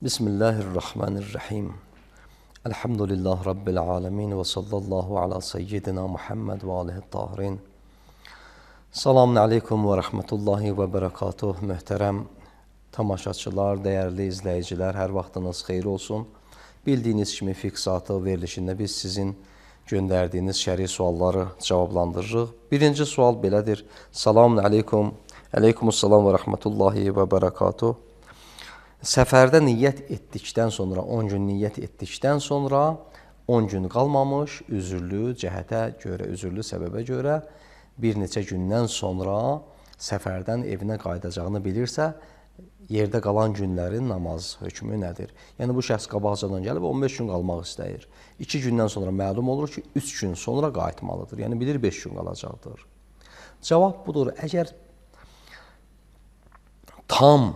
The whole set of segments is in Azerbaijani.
Bismillahirrahmanirrahim. Elhamdülillah Rabbil alemin ve sallallahu ala seyyidina Muhammed ve alihi tahirin. Selamun aleyküm ve rahmetullahi ve berekatuh. Möhtərəm tamaşaçılar, dəyərli izləyicilər, hər vaxtınız xeyir olsun. Bildiyiniz kimi fiqh saatı verilişində biz sizin göndərdiyiniz şəri sualları cavablandırırıq. Birinci sual belədir. Selamun aleyküm. Aleykümüssalam və rahmetullahi və berekatuh. Səfərdə niyyət etdikdən sonra, 10 gün niyyət etdikdən sonra 10 gün qalmamış, üzürlü cəhətə görə, üzürlü səbəbə görə bir neçə gündən sonra səfərdən evinə qayıdacağını bilirsə, yerdə qalan günlərin namaz hökmü nədir? Yəni, bu şəxs qabaqcadan gəlib 15 gün qalmaq istəyir. 2 gündən sonra məlum olur ki, 3 gün sonra qayıtmalıdır. Yəni, bilir 5 gün qalacaqdır. Cavab budur, əgər tam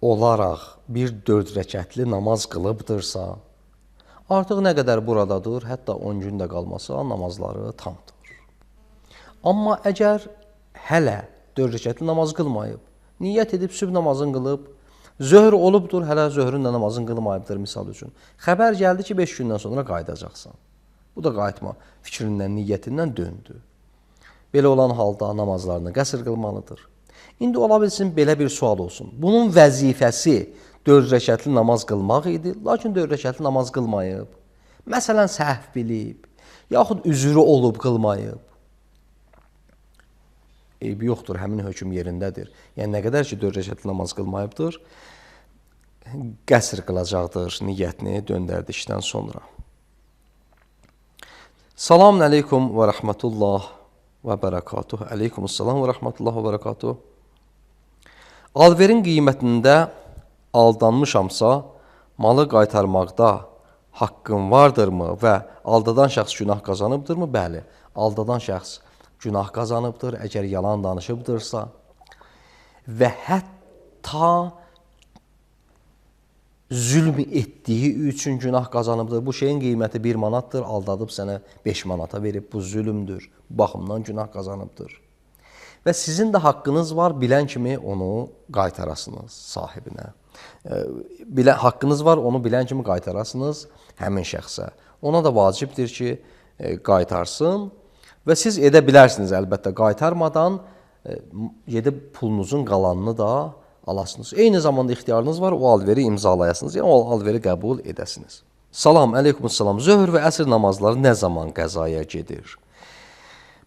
olaraq bir 4 rəkətli namaz qılıbdırsa, artıq nə qədər buradadır, hətta 10 gün də qalmasa namazları tamdır. Amma əgər hələ 4 rəkətli namaz qılmayıb, niyyət edib sübh namazını qılıb, zöhr olubdur, hələ zöhrün də namazını qılmayıbdır misal üçün. Xəbər gəldi ki, 5 gündən sonra qayıdacaqsan. Bu da qayıtma fikrindən, niyyətindən döndü. Belə olan halda namazlarını qəsr qılmalıdır. İndi ola bilsin, belə bir sual olsun. Bunun vəzifəsi 4 rəkətli namaz qılmaq idi, lakin 4 rəkətli namaz qılmayıb. Məsələn, səhv bilib, yaxud üzrü olub qılmayıb. Eybi yoxdur, həmin hökm yerindədir. Yəni, nə qədər ki, 4 rəkətli namaz qılmayıbdır, qəsr qılacaqdır niyyətini döndərdikdən sonra. Selamun aleyküm və rəhmətullah və bərəkatuh. Aleykümüssalam və rəhmətullah və bərəkatuh. Alverin qiymətində aldanmışamsa, malı qaytarmaqda haqqım vardırmı və aldadan şəxs günah qazanıbdırmı? Bəli, aldadan şəxs günah qazanıbdır, əgər yalan danışıbdırsa və hətta zülm etdiyi üçün günah qazanıbdır. Bu şeyin qiyməti 1 manatdır, aldadıb sənə 5 manata verib, bu zülmdür, bu baxımdan günah qazanıbdır. Və sizin də haqqınız var, bilən kimi onu qaytarasınız sahibinə. Haqqınız var, onu bilən kimi qaytarasınız həmin şəxsə. Ona da vacibdir ki, qaytarsın və siz edə bilərsiniz əlbəttə qaytarmadan gedib pulunuzun qalanını da alasınız. Eyni zamanda ixtiyarınız var, o alveri imzalayasınız, yəni o alveri qəbul edəsiniz. Salam, aleykümüssalam. Zöhr və əsr namazları nə zaman qəzaya gedir?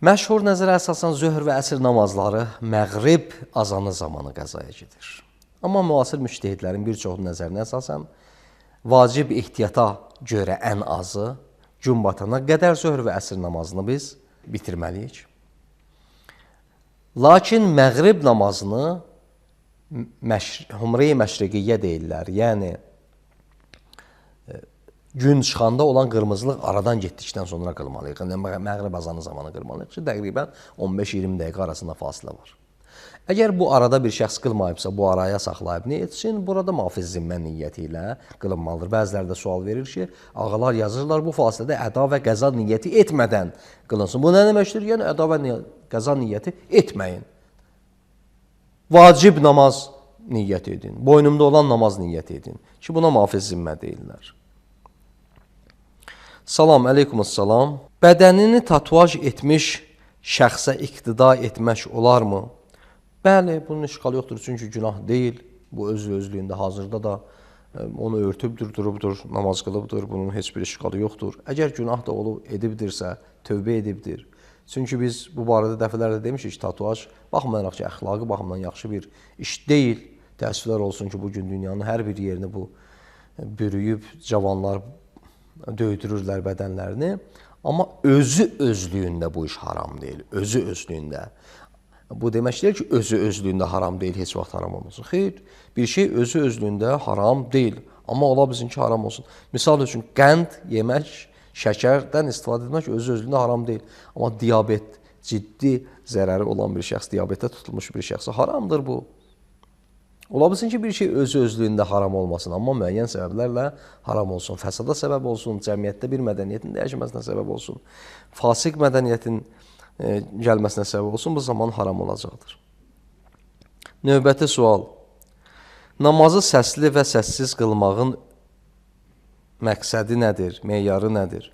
Məşhur nəzərə əsasən zöhr və əsr namazları məğrib azanı zamanı qəzaya gedir. Amma müasir müştəhidlərin bir çoxu nəzərinə əsasən vacib ehtiyata görə ən azı gün batana qədər zöhr və əsr namazını biz bitirməliyik. Lakin məğrib namazını humre-i məşriqiyyə deyirlər. Yəni, gün çıxanda olan qırmızılıq aradan getdikdən sonra qılmalıyıq. Məğrib azanı zamanı qılmalıyıq ki, təqribən 15-20 dəqiqə arasında fasilə var. Əgər bu arada bir şəxs qılmayıbsa, bu araya saxlayıb nə etsin? Burada mafiz zimmə niyyəti ilə qılınmalıdır. Bəziləri də sual verir ki, ağalar yazırlar, bu fasilədə əda və qəza niyyəti etmədən qılınsın. Bu nə deməkdir? Yəni, əda və qəza niyyəti etməyin. Vacib namaz niyyət edin. Boynumda olan namaz niyyət edin. Ki, buna mafiz zimmə deyirlər. Salam, aleykümüssalam. Bədənini tatuaj etmiş şəxsə iqtida etmək olarmı? Bəli, bunun işğalı yoxdur, çünki günah deyil. Bu özlüyündə hazırda da onu örtübdür, durubdur, namaz qılıbdır, bunun heç bir işğalı yoxdur. Əgər günah da olub edibdirsə, tövbə edibdir. Çünki biz bu barədə dəfələrlə demişik ki, tatuaj baxmayaraq ki, əxlaqı baxımdan yaxşı bir iş deyil. Təəssüflər olsun ki, bugün dünyanın hər bir yerini bu bürüyüb cavanlar döydürürlər bədənlərini. Amma özlüyündə bu iş haram deyil, özlüyündə. Bu demək deyil ki, özlüyündə haram deyil, heç vaxt haram olmasın. Xeyr, bir şey özlüyündə haram deyil, amma ola bilsin ki, haram olsun. Misal üçün, qənd yemək, şəkərdən istifadə etmək özlüyündə haram deyil. Amma diabet, ciddi zərəri olan bir şəxs, diabetə tutulmuş bir şəxsə haramdır bu. Ola bilsin ki, bir şey özlüyündə haram olmasın, amma müəyyən səbəblərlə haram olsun. Fəsada səbəb olsun, cəmiyyətdə bir mədəniyyətin dəyişməsinə səbəb olsun, fasik mədəniyyətin gəlməsinə səbəb olsun, bu zaman haram olacaqdır. Növbəti sual. Namazı səsli və səssiz qılmağın məqsədi nədir, meyarı nədir?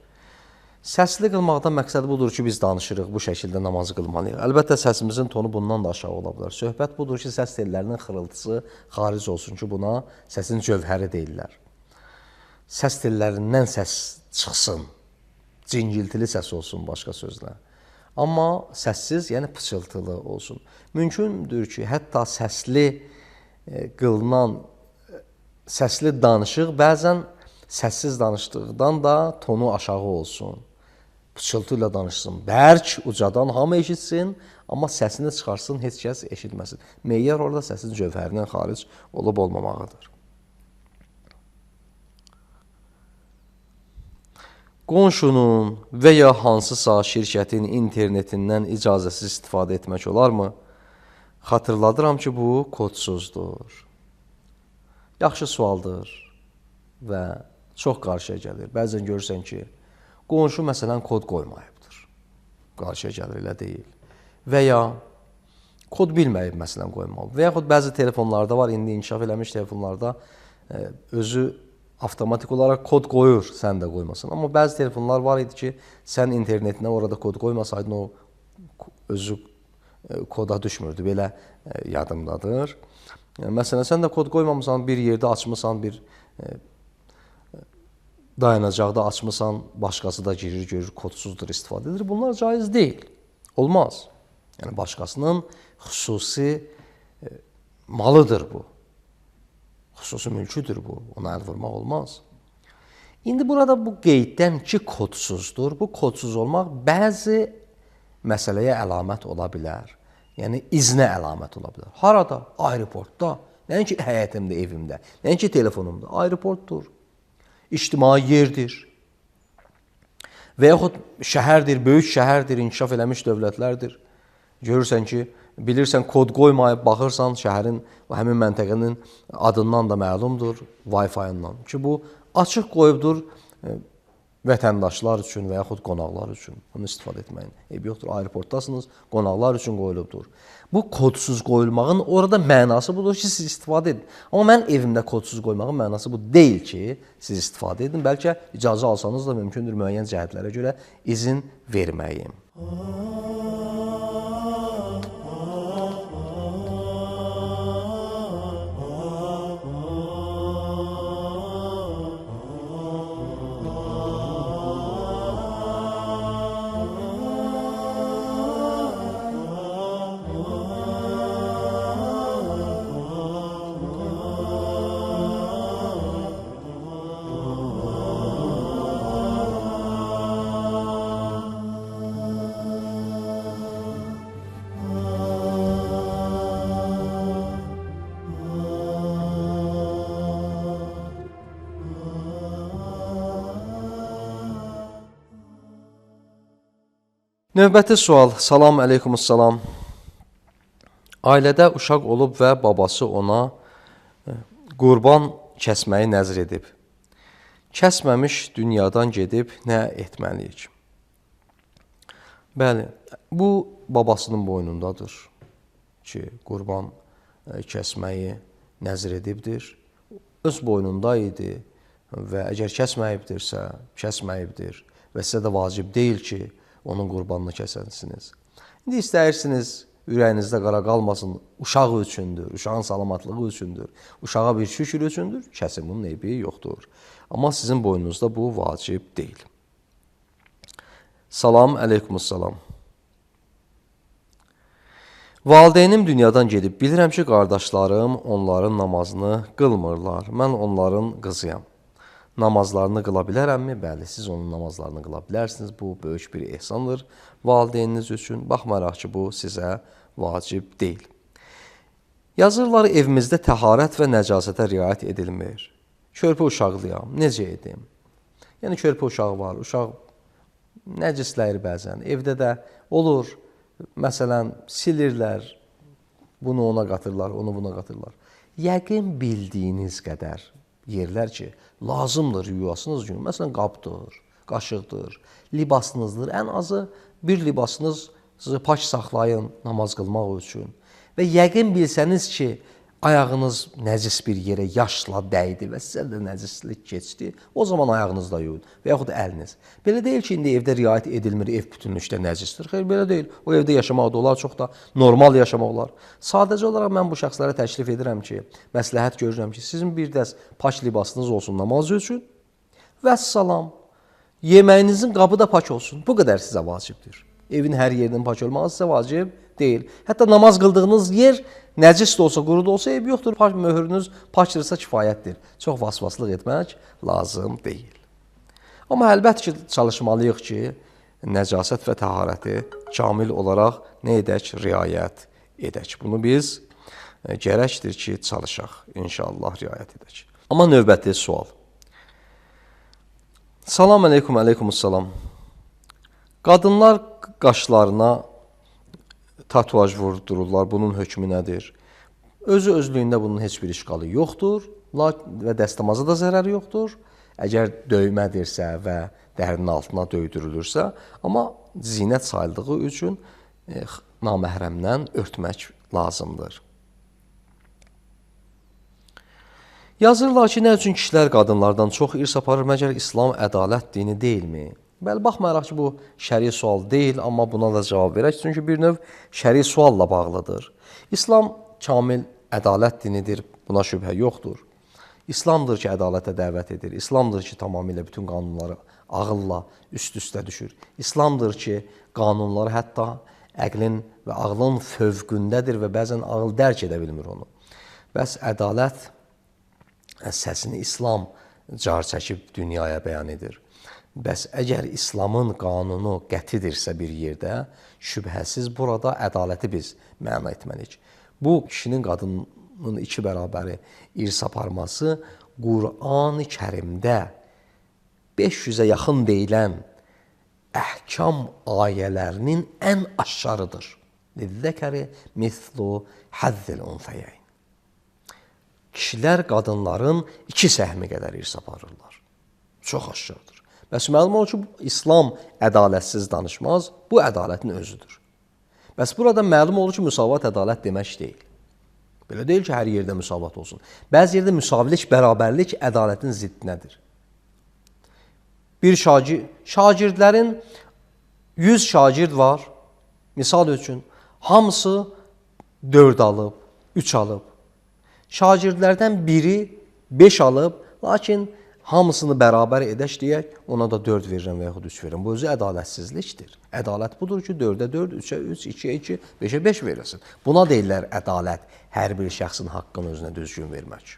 Səsli qılmaqdan məqsədi budur ki, biz danışırıq, bu şəkildə namazı qılmalıyıq. Əlbəttə, səsimizin tonu bundan da aşağı ola bilər. Söhbət budur ki, səs tellərinin xırıltısı xaric olsun ki, buna səsin cövhəri deyirlər. Səs tellərindən səs çıxsın, cingiltili səs olsun, başqa sözlə. Amma səssiz, yəni pıçıltılı olsun. Mümkündür ki, hətta səsli qılınan, səsli danışıq bəzən səssiz danışdıqdan da tonu aşağı olsun. Pıçıltı ilə danışsın, bərk, ucadan hamı eşitsin, amma səsini çıxarsın, heç kəs eşitməsin. Meyyər orada səsin cövhərindən xaric olub olmamağıdır. Qonşunun və ya hansısa şirkətin internetindən icazəsiz istifadə etmək olarmı? Xatırladıram ki, bu kodsuzdur. Yaxşı sualdır və çox qarşıya gəlir. Bəzən görürsən ki, qonşu məsələn kod qoymayıbdır. Qarşıya gəlir, elə deyil. Və ya kod bilməyib məsələn qoymalı. Və yaxud bəzi telefonlarda var, indi inkişaf eləmiş telefonlarda özü avtomatik olaraq kod qoyur, sən də qoymasın. Amma bəzi telefonlar var idi ki, sən internetinə orada kod qoymasaydın, o özü koda düşmürdü. Belə yadımdadır. Məsələn, sən də kod qoymamısan, bir yerdə açmısan, bir dayanacaqda açmısan, başqası da girir, görür, kodsuzdur, istifadə edir. Bunlar caiz deyil. Olmaz. Yəni, başqasının xüsusi malıdır bu. Xüsusi mülküdür bu. Ona əl vurmaq olmaz. İndi burada bu qeyddən ki, kodsuzdur. Bu kodsuz olmaq bəzi məsələyə əlamət ola bilər. Yəni, iznə əlamət ola bilər. Harada? Aeroportda. Nəinki həyətimdə, evimdə. Nəinki telefonumda. Aeroportdur. İctimai yerdir. Və yaxud şəhərdir, böyük şəhərdir, inkişaf eləmiş dövlətlərdir. Görürsən ki, bilirsən, kod qoymayıb, baxırsan şəhərin, həmin məntəqənin adından da məlumdur, Wi-Fi-ından. Ki, bu açıq qoyubdur vətəndaşlar üçün və yaxud qonaqlar üçün. Bunu istifadə etməyin. Eybi yoxdur, aeroportdasınız, qonaqlar üçün qoyulubdur. Bu kodsuz qoyulmağın orada mənası budur ki, siz istifadə edin. Amma mən evimdə kodsuz qoymağın mənası bu deyil ki, siz istifadə edin. Bəlkə icazə alsanız da mümkündür müəyyən cəhətlərə görə izin verməyim. Növbəti sual. Salam əleykumussalam. Ailədə uşaq olub və babası ona qurban kəsməyi nəzr edib. Kəsməmiş dünyadan gedib nə etməliyik? Bəli, bu babasının boynundadır ki, qurban kəsməyi nəzr edibdir. Öz boynunda idi və əgər kəsməyibdir və sizə də vacib deyil ki, onun qurbanını kəsənsiniz. İndi istəyirsiniz, ürəyinizdə qara qalmasın, uşaq üçündür, uşağın salamatlığı üçündür, uşağa bir şükür üçündür, kəsin, bunun eybi yoxdur. Amma sizin boynunuzda bu vacib deyil. Salam əleykumussalam. Valideynim dünyadan gedib, bilirəm ki, qardaşlarım onların namazını qılmırlar, mən onların qızıyam. Namazlarını qıla bilərəmmi? Bəli, siz onun namazlarını qıla bilərsiniz. Bu, böyük bir ehsandır valideyniniz üçün. Baxmayaraq ki, bu sizə vacib deyil. Yazırlar, evimizdə təharət və nəcasətə riayət edilmir. Körpə uşaqlıyam, necə edim? Yəni, körpə uşağı var, uşaq nəcisləyir bəzən. Evdə də olur, məsələn, silirlər, bunu ona qatırlar, onu buna qatırlar. Yəqin bildiyiniz qədər yerlər ki, lazımdır yuyasınız gün. Məsələn, qabdır, qaşıqdır, libasınızdır. Ən azı bir libasınızı pak saxlayın namaz qılmaq üçün. Və yəqin bilsəniz ki, ayağınız nəcis bir yerə yaşla dəydi və sizə də nəcislik keçdi, o zaman ayağınızla yuyun və yaxud əliniz. Belə deyil ki, indi evdə riayət edilmir, ev bütünlükdə nəcisdir. Xeyr, belə deyil. O evdə yaşamaq da olar, çox da normal yaşamaq olar. Sadəcə olaraq mən bu şəxslərə təklif edirəm ki, məsləhət görürəm ki, sizin bir dəst pak libasınız olsun namaz üçün və salam, yeməyinizin qabı da pak olsun. Bu qədər sizə vacibdir. Evin hər yerinin pak olmağı sizə vacib deyil. Hətta namaz qıldığınız yer nəcis də olsa, quru da olsa eybi yoxdur. Möhürünüz pakdırsa kifayətdir. Çox vasvaslıq etmək lazım deyil. Amma əlbəttə ki, çalışmalıyıq ki, nəcasət və təharəti kamil olaraq nə edək? Riayət edək. Bunu biz gərəkdir ki, çalışaq. İnşallah riayət edək. Amma növbəti sual. Salam əleykum, əleykumussalam. Qadınlar qaşlarına tatuaj vurdururlar. Bunun hökmü nədir? Özlüyündə bunun heç bir işqalı yoxdur və dəstəmaza da zərəri yoxdur. Əgər döymədirsə və dərinin altına döydürülürsə, amma zinət sayıldığı üçün naməhrəmdən örtmək lazımdır. Yazırlar ki, nə üçün kişilər qadınlardan çox irs aparır, məgər İslam ədalət dini deyilmi? Bəli, baxmayaraq ki, bu şəri sual deyil, amma buna da cavab verək. Çünki bir növ şəri sualla bağlıdır. İslam kamil ədalət dinidir, buna şübhə yoxdur. İslamdır ki, ədalətə dəvət edir. İslamdır ki, tamamilə bütün qanunları ağılla üst-üstə düşür. İslamdır ki, qanunları hətta əqlin və ağlın fövqündədir və bəzən ağıl dərk edə bilmir onu. Bəs ədalət səsini İslam car çəkib dünyaya bəyan edir. Bəs əgər İslamın qanunu qətidirsə bir yerdə, şübhəsiz burada ədaləti biz məna etməliyik. Bu, kişinin qadının iki bərabəri irs aparması Qur'an-ı Kərimdə 500-ə yaxın deyilən əhkam ayələrinin ən aşağıdır. Lizzəkəri mislu həzzil unsayəyn. Kişilər qadınların 2 səhmi qədər irs aparırlar. Çox aşağıdır. Bəs məlum olur ki, İslam ədalətsiz danışmaz, bu ədalətin özüdür. Bəs burada məlum olur ki, müsavat ədalət demək deyil. Belə deyil ki, hər yerdə müsavat olsun. Bəzi yerdə müsavilik, bərabərlik ədalətin ziddinədir. Bir şagirdlərin 100 şagird var, misal üçün, hamısı 4 alıb, 3 alıb. Şagirdlərdən biri 5 alıb, lakin hamısını bərabər edək deyək, ona da 4 verirəm və yaxud 3 verirəm. Bu özü ədalətsizlikdir. Ədalət budur ki, 4-ə 4, 3-ə 3, 2-ə 2, 5-ə 5 verirsin. Buna deyirlər ədalət, hər bir şəxsin haqqını özünə düzgün vermək.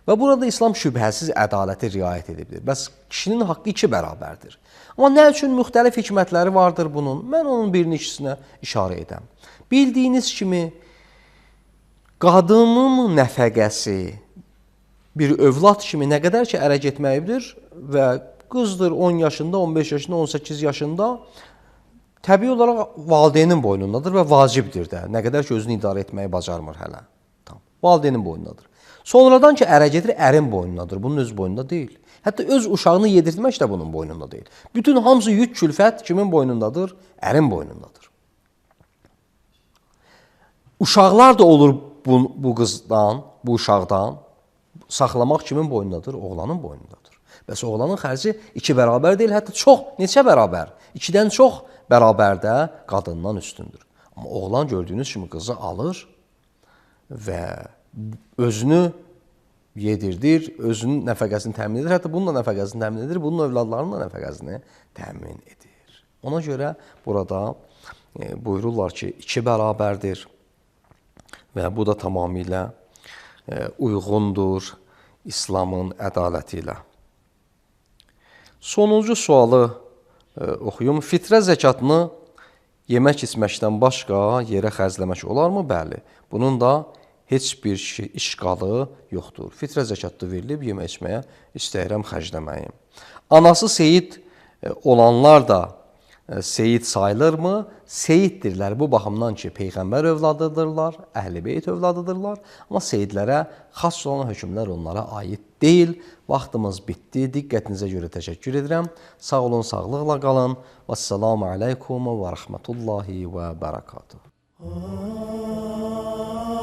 Və burada İslam şübhəsiz ədaləti riayət edibdir. Bəs kişinin haqqı 2 bərabərdir. Amma nə üçün müxtəlif hikmətləri vardır bunun? Mən onun birini ikisinə işarə edəm. Bildiyiniz kimi, qadının nəfəqəsi bir övlad kimi nə qədər ki, ərə getməyidir və qızdır 10 yaşında, 15 yaşında, 18 yaşında təbii olaraq valideynin boynundadır və vacibdir də. Nə qədər ki, özünü idarə etməyi bacarmır hələ. Valideynin boynundadır. Sonradan ki, ərə gedir, ərin boynundadır. Bunun öz boynunda deyil. Hətta öz uşağını yedirtmək də bunun boynunda deyil. Bütün hamısı yük külfət kimin boynundadır? Ərin boynundadır. Uşaqlar da olur bu qızdan, bu uşaqdan. Saxlamaq kimin boynundadır? Oğlanın boynundadır. Bəs oğlanın xərci 2 bərabər deyil, hətta çox, neçə bərabər? 2-dən çox bərabərdə qadından üstündür. Amma oğlan gördüyünüz kimi qızı alır və özünü yedirdir, özünün nəfəqəsini təmin edir, hətta bunun da nəfəqəsini təmin edir, bunun övladlarının da nəfəqəsini təmin edir. Ona görə burada buyururlar ki, 2 bərabərdir və bu da tamamilə uyğundur İslamın ədaləti ilə. Sonuncu sualı oxuyum. Fitrə zəkatını yemək içməkdən başqa yerə xərcləmək olarmı? Bəli. Bunun da heç bir işqalı yoxdur. Fitrə zəkatı verilib, yemək içməyə istəyirəm, xərcləməyim. Anası seyid olanlar da seyid sayılırmı? Seyiddirlər bu baxımdan ki, Peyğəmbər övladıdırlar, Əhl-i Beyt övladıdırlar. Amma seyidlərə xas olan hökmlər onlara aid deyil. Vaxtımız bitdi. Diqqətinizə görə təşəkkür edirəm. Sağ olun, sağlıqla qalın. Vəssalamu aleykum və rəhmətullahi və bərəkatuhu. Ah